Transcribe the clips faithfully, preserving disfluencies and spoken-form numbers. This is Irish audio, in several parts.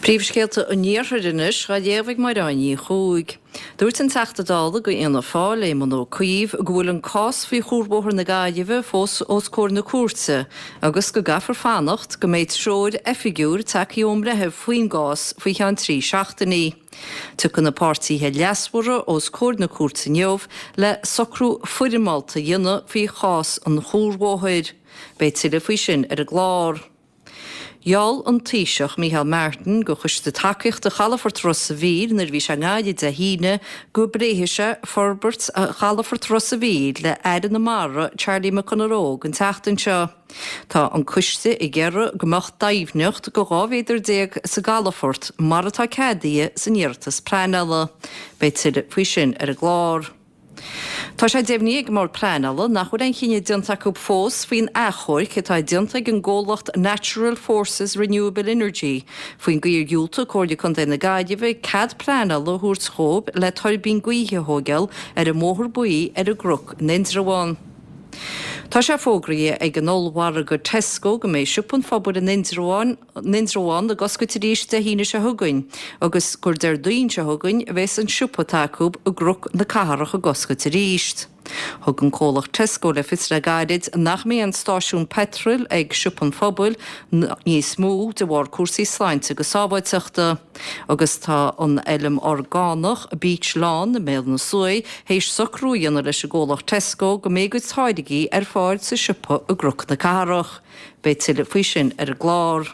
Príomhscéalta an Iarthair anois á léamh ag Máire Ní Chuaig. Dúirt an Teachta Dála do Fhianna Fáil Éamon Ó Cuív go bhfuil an cás faoi chuarbhóthar na Gaillimhe fós os comhair na cúirte agus go gcaithfear fanacht go mbeidh treoir oifigiúil tagtha ón mbreitheamh faoin gcás faoi cheann trí seachtainí. Tiocfaidh na páirtithe leasmhara os comhair na cúirte inniu le socrú foirmeálta a dhéanamh faoi chás an chuarbhóthair. Beidh tuilleadh faoi sin ar an gclár. Gheall an Taoiseach Micheál Martin do choiste tacaíochta Chalafort Ros an Mhíl nuair a bhí sé i nGaillimh Dé hAoine go bpléifidh sé forbairt Chalafort Ros an Mhíl le Aire na Mara Charlie McConalogue an tseachtain seo. Tá an coiste ag iarraidh go mbeadh doimhneacht de dhá mhéadar déag sa gcalafort mar atá ceadaithe san iarratas pleanála. Beidh tuilleadh faoi sin ar an gclár. Tá sé deimhnithe ag an mBord Pleanála nach bhfuil aon chinneadh déanta acu fós faoin achomharc atá déanta ag an gcomhlacht Natural Forces Renewable Energy faoin gcaoi ar dhiúltaigh Comhairle Contae na Gaillimhe cead pleanála a thabhairt dhóibh le tuirbín gaoithe a thógáil ar an mBóthar Buí ar an gCnoc in Indreabhán. Tá sé fógraithe ag an ollmhargadh Tesco go mbeidh siopa an phobail in Indreabhán Indreabhán ag oscailt arís Dé hAoine seo chugainn agus gur Déardaoin seo chugainn a bheas an siopa atá acu i gCnoc na Cathrach ag oscailt arís. Thug an comhlacht Tesco le fios le gairid nach mbeidh an stáisiún peitril ag siopa an phobail níos mó de bharr cúrsaí sláinte agus sábháilteachta. Agus tá an fheilm orgánach Beech Lawn i mBéal na Sluaighe théis socrú a dhéanamh leis an gcomhlacht Tesco go mbeidh a gcuid táirgí ar fáil sa siopa i gCnoc na Cathrach. Beidh tuilleadh faoi sin ar an gclár.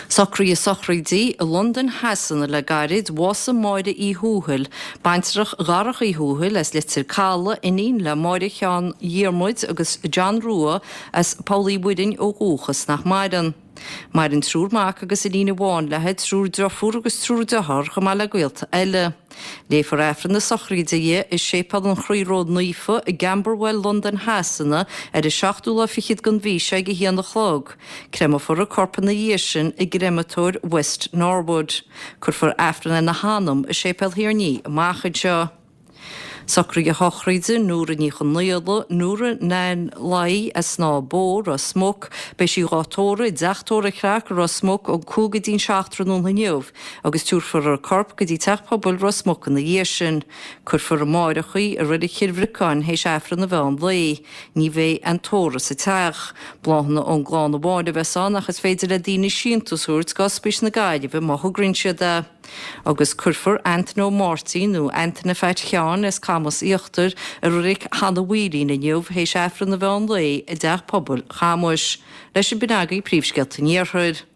Socruithe sochraide i Londain Shasana le gairid bhásaigh Máire Uí Thuathail, baintreach Dharach Uí Thuathail as Leitir Caladh, iníon le Máire Sheáin Dhiarmuid agus John Rua as Poll Uí Mhuirinn ó dhúchas nach maireann. Maireann triúr mac agus iníon amháin léi, triúr deirfiúr agus triúr dearthár chomh maith le gaolta eile. Léifear Aifreann na sochraide di i Séipéal an Chroí Ró-Naofa i gCamberwell, Londain Shasana ar an seachtú lá fichead den mhí seo ag a haon a chlog. Créamfar a corp ina dhiaidh sin i gcréamatóir West Norwood. Cuirfear Aifreann lena hanam i Séipéal Thír an Fhia amach anseo. Socruithe sochraide Nóra Ní Chonaola, Nóra Nan Lai as Snáth Bó, Ros Muc, beidh sí dhá tórramh i dteach tórraimh Chreach i Ros Muc ón cúig go dtí'n seacht tráthnóna inniu agus tabharfar a corp go dtí teach pobail Ros Muc ina dhiaidh sin. Cuirfear amárach í i Reilig Chill Bhriocáin théis Aifreann an mheán lae. Ní bheidh aon tórramh sa teach. Bláthanna ón gclann amháin a bheas ann ach is féidir le daoine síntiús a thabhairt d'Ospís na Gaillimhe má thograíonn siad é. Agus cuirfear Antaine Ó Máirtín nó Antaine Pheait Sheáin as Camas Íochtar i Reilig Hannah Mhaoilín inniu théis Aifreann an mheán lae i dteach pobail Chamuis. Leis sin b'in agaibh príomhscéalta an Iarthair.